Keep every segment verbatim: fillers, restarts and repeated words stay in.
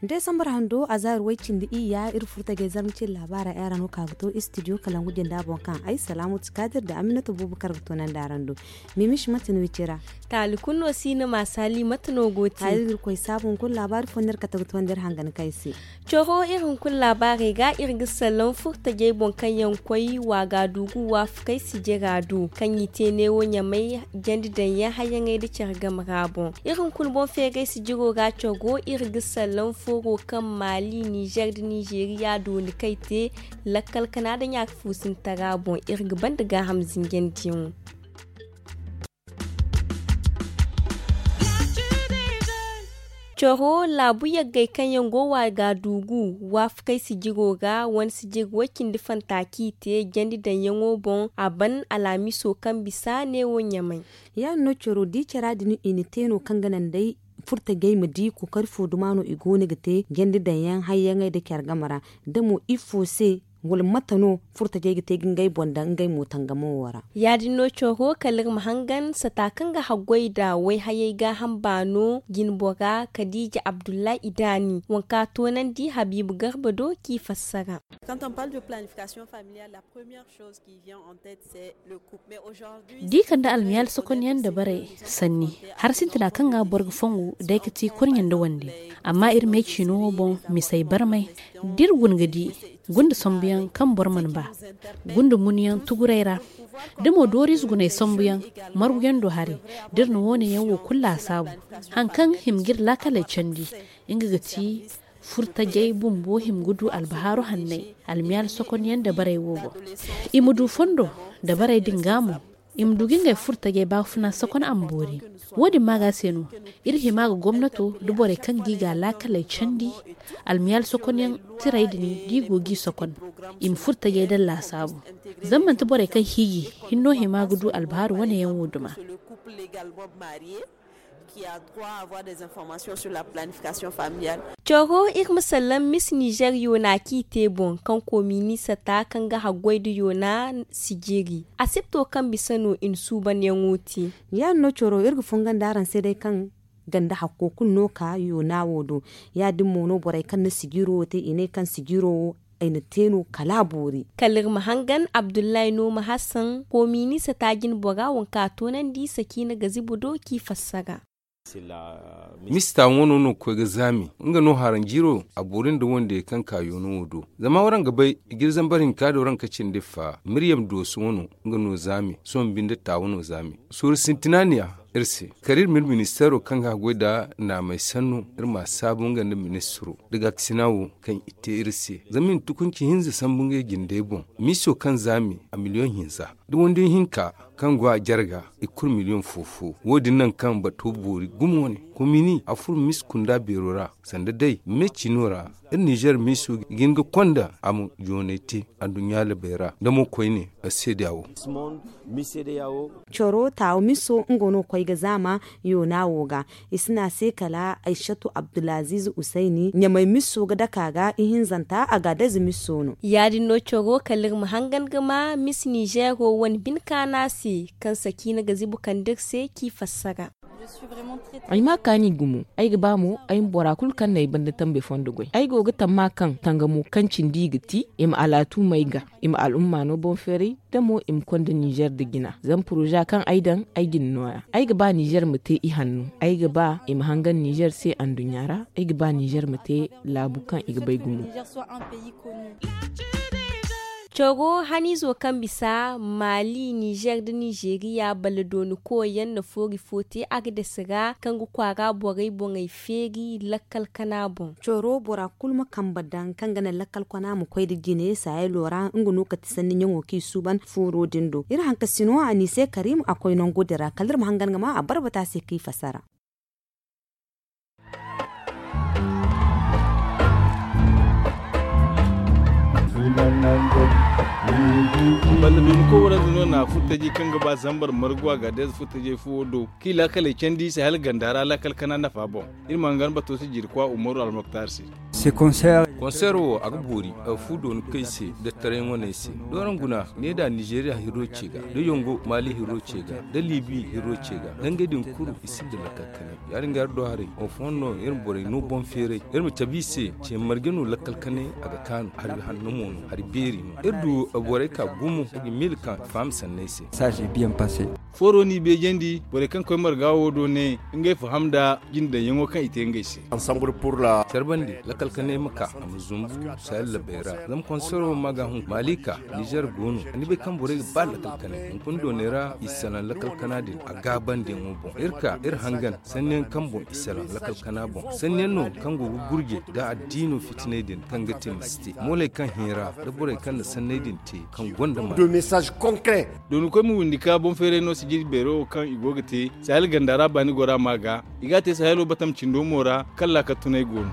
Desambar hando a zaari way-cindi iyya iri furtajey zarma cine laabaara yaŋ ra no ka ga to istidiyo kalangu jinda boŋ kaŋ ay salaamatu kaadir nda aminata buubu kar ga toonandi araŋ do. Mimish mate no i ci ra? Taali kulu no si ni ma saali mate no go te? Iri ga iri koy saabu hunkuna laabaari fo no iri kate ga toonandi iri hangan kaŋ ay se. Coro iri hunkuna laabaarey ga iri ga salaŋ furtajey boŋ kaŋ yaŋ koy waagaadugu waafakey sijira do kaŋ i te neewo ɲamay jandi daŋ yaŋ hayyaŋey nda care game ra boŋ. Iri hunkuna boŋ feeray sijiro ga coro iri ga salaŋ furo kaŋ maali nizer nda nizeriya dooni kay te lakkal kana nda ɲaaka fuusintara boŋ iri ga banda gaaham zinjandiyaŋo. Coro laabu yaggay kaŋ yaŋ go waagaadugu waafakey sijiro ra wane sijiri way-cindi fanta kaŋ i te jandi daŋyaŋo boŋ a ban alhamiso kaŋ bisa neewo ɲamay. Ya- din no coro di cara din i na te no kaŋ ga naŋ day furtajey ma di kookari fo duma no i go no ga te jandi daŋyaŋ hayyaŋey nda care game ra da mo ifo se wala mate no furtajey ga te ga ngey boŋ daŋ ngey mo tangamo wo ra? Ya- din no coro kala iri ma hangan sata kaŋ ga haggoy nda wayhayey gaaham baano jinbora kadiija abdullahi idaani waŋ kaŋ a toonandi habiibu garba do k'i fassara. Da i kande almiyaali sokonyaŋ dabarey sanni, hari sintina kaŋ ga boro ga fongu day ga ti korɲe nda wande. Amma iri me ciino wo boŋ misey barmay da iri guna ga di gunda sambuyaŋ kaŋ boro mana ba gunda munyaŋ tuguray ra da mo dooriize guney sambuyaŋ marguyaŋ do haray da iri na wo- ne yaŋ wo kulu laasaabu. Hari kaŋ hima ga iri laakaley candi nga ga ti furtajey bumbo hima ga du albahaaru hanney almiyaali sokonyaŋ dabarey wo boŋ. I ma du fondo dabarey din ga mo i ma du ga ngey furtajey baafuna sokon a ma boori. Wo- din maaga se no iri hima ga gomnato nda borey kaŋ ga i ga laakaley candi almiyaali sokonyaŋ tiray din da i go g'i sokon i ma furtajey daŋ laasaabu. Zama manti borey kaŋ hiiji hinno hima ga du albahaaru wane yaŋ wo duma. Coro iri ma sallaŋ mis nizer yoona kaŋ i te boŋ kaŋ koomini sata kaŋ ga haggoy nda yoona sijiri asipto kaŋ bisa no i na suubanyaŋo te. Ya- din no coro iri ga fongandi araŋ se day kaŋ ganda hakko kulu no ka yoona wo do. Ya- din mo no borey kaŋ na sijiro wo te i ne kaŋ sijiro wo ay na te no kala a boori. Kala iri ma hangan abdullahi no ma hasan koomini sata jinbora waŋ kaŋ a toonandi sakiina gazibu do k'i fassara. Mista wano no ga koy ga zaami nga no haranjiiro a boori nda wande kaŋ ka yoono wo do. Zama waraŋ ga bay i ga iri zambar hinka da waraŋ ka cindi fa miryam dooso wano nga no zaami sohõ binde ta wano zaami. Suuru sintina niya iri se kala iri ma iri ministeero kaŋ ga haggoy nda naamey sanno iri ma a saabu nga nda ministiro da gaakasina wo kaŋ i te iri se zama i na tukunci hinza sambu ngey jindey boŋ. Miiso kaŋ zaami a miliyoŋ hinza da wande hinka kaŋ go a jarga i kulu miliyoŋ fo fo. Wo- din naŋ kaŋ bato boori gumo wane komini a furo miisi kunda beero ra sanda day me ciino ra. Iri nizer miiso ga hin ga konda a ma joonay te anduɲɲa labey ra nda mo koyne a seedeya wo. Coro taawo miso nga no koy ga zaama yoona wo ga i si ne a se kala aysatu abdulaziz usayni ɲamay miso ga dake a ga ihinzanta a ga a daze miso no. Ya- din no coro kala iri ma hangan ga ma mis nizero wane bine kaana se kaŋ sakiina ga zibu kande iri se k'i fassara. Ay ma kaani gumo ay ga ba mo ay ma bora kulu kaŋ na ay banda tambe fondo goy ay go ga tamma kaŋ tangamo kaŋ cindi i ga ti i ma alaatu may ga i ma al'umma no boŋ feeray da mo i ma konda nizer nda jina zama poroza kaŋ ay daŋ ay ga ni nooya ay ga ba nizer ma te ihanno ay ga ba i ma hangan nizer se anduɲɲa ra ay ga ba nizer ma te laabu kaŋ i ga bay gumo. Coro haniizo kaŋ bisa maali nizer nda nizeriya baladooni koyyaŋ na foori fo te agades ra kaŋ ga kwaara borey boŋey feeri lakkal kana boŋ. Coro bora kulu ma kambe daŋ kaŋ ga naŋ lakkal kwana ma koy nda jine saayalo ra nga no kate sanni ɲaŋo kaŋ i suuban fooro din do iri hankasino a n'i se karim a koy nangu din ra kala iri ma hangan ga ma a barbata se kaŋ i fasara. Balla dumi ko waranza no na furtaji kaŋ ga ba zambar margu a ga deeza furtajey fuwo do kaŋ i laakaley candi i se hala ganda ra laakal kana nafa boŋ. Iri ma hangan bato se jirkwa umaru almoktar se. Konseer wo a ga boori a ga fu dooni kay se. Dattaray ŋwaney se dooraŋ guna ne da nizeeriya hiro ce ga da yongo maali hiro ce ga da liibi hiro ce ga dangay din kulu i sinda lakkal kanay. Ya- din ga iri do haray wo fooyaŋ no iri ma borey no boŋ feeray iri ma cabe i se. Ce marje no lakkal kanay a ga kaanu hari hanno mo no hari beeri no iri du borey ka gumo nga miila kaŋ faham sanney se. Fooro n'i beejandi borey kaŋ koy marga wo do ne ngey faham nda jinde daŋyaŋo kaŋ i te ngey se. Care bande lakkal kanay ma ka a ma zumbu sahel labey ra. Zama konsero ma ga hun malika nizer go no ni bay kaŋ borey ga ba lakkal kanay hunkuna dooney ra i salaŋ lakkal kana din a gaabandiyaŋo boŋ iri ka iri hangan sanniyaŋ kaŋ boŋ i salaŋ lakkal kana boŋ sanniyaŋ no kaŋ go ga gurje nda addiino fitinay din kaŋ ga te ma si te mooley kaŋ hinra nda borey kaŋ na sanney din te kaŋ gonda ma. Dooni koy ma windi ka boŋ feeray no sijiri beero wo kaŋ i go ga te sahel ganda ra baani gora ma ga i ga a te sahelo batam cindo mo ra kala ka tunay go no.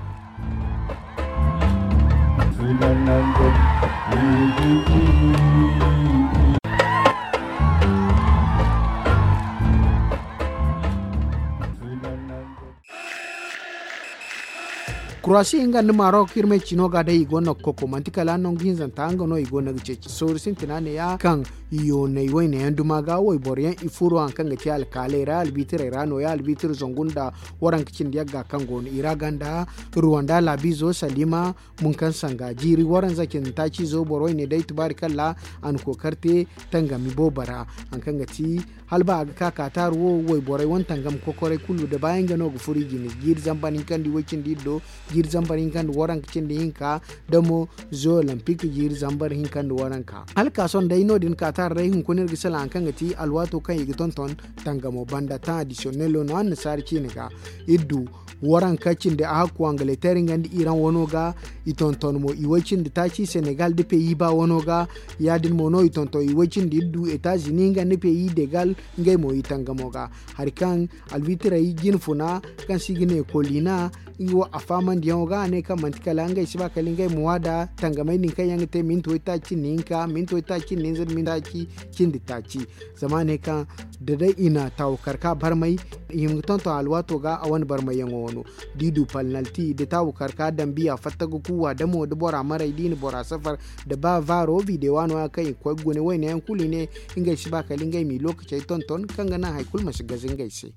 Kurasi nga nda marok iri ma ay cino ga day i go no ga koko manti kala nangu hinzanta nga no i go no ga ceeci sooru sintina ne ya kaŋ yoonay wayne yaŋ duma ga wayboro yaŋ i furo hari kaŋ ga te alkaaley ra albitirey ra no- ya albitir zangu nda waranka cindi yagga kaŋ go no i ra ganda ruwanda laabizo salima munkan sanga jiiri waranza cindi taaci zo boro wayne day tubaari kalla a na kookari te tangami boobo ra hari kaŋ ga ti hala ba a ga ka kaatar wo wayborey wane tangam kokoray kulu nda baayaŋ ga no ga furo i jine jiiri zambar hinka nda iway cindi iddo jiiri zambar hinka nda waranka cindi hinka da mo zo olempik jiiri zambar hinka nda waranka hala ka sohõ day no- din kaatar day hunkuna iri ga salaŋ hari kaŋ ga ti alwaato kaŋ i ga tonton tangamo banda taŋ adisiyonelo no annasaara ciine ga iri du waranka cindi a hakku angaleter nga nda iran wano ga i tonton mo iway cindi taaci senegal nda peyi ba wano ga ya- din mo no i tonton iway cindi iri du etazini nga nda peyi degal ngey mo i tangamo ga hari kaŋ albitirey jinfuna kaŋ se i ga ne kolina nga wo a faamandiyaŋo ga a ne kaŋ manti kala ngey si ba kala ngey ma waada tangamey din kaŋ yaŋ ga te minti waytaaci cindi hinka minti waytaaci cindi hinza nda minti taaci cindi taaci zama a ne kaŋ da day i na taawukar ka barmay i hima ga tonton alwaato ga a wane barmayyaŋo wano da i du palnalti da taawukar ka dambiya fatta ga kuuwa da mo da bora maray da i na bora safar da ba vaaro videwa no- ya kaŋ i ga koy ga gune wayne yaŋ kulu i ne ngey si ba kala ngey m'i lookacey tonton kaŋ ga naŋ hari kulu ma si gaze ngey se.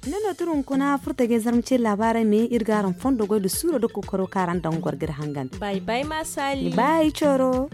Ni no tira hunkuna furtajey zarma cine laabaarey me iri ga araŋ fondo goy nda suuro nda kookaro kaŋ araŋ daŋ ga goro ga iri hangan. Bay bay ma saali. Bay coro.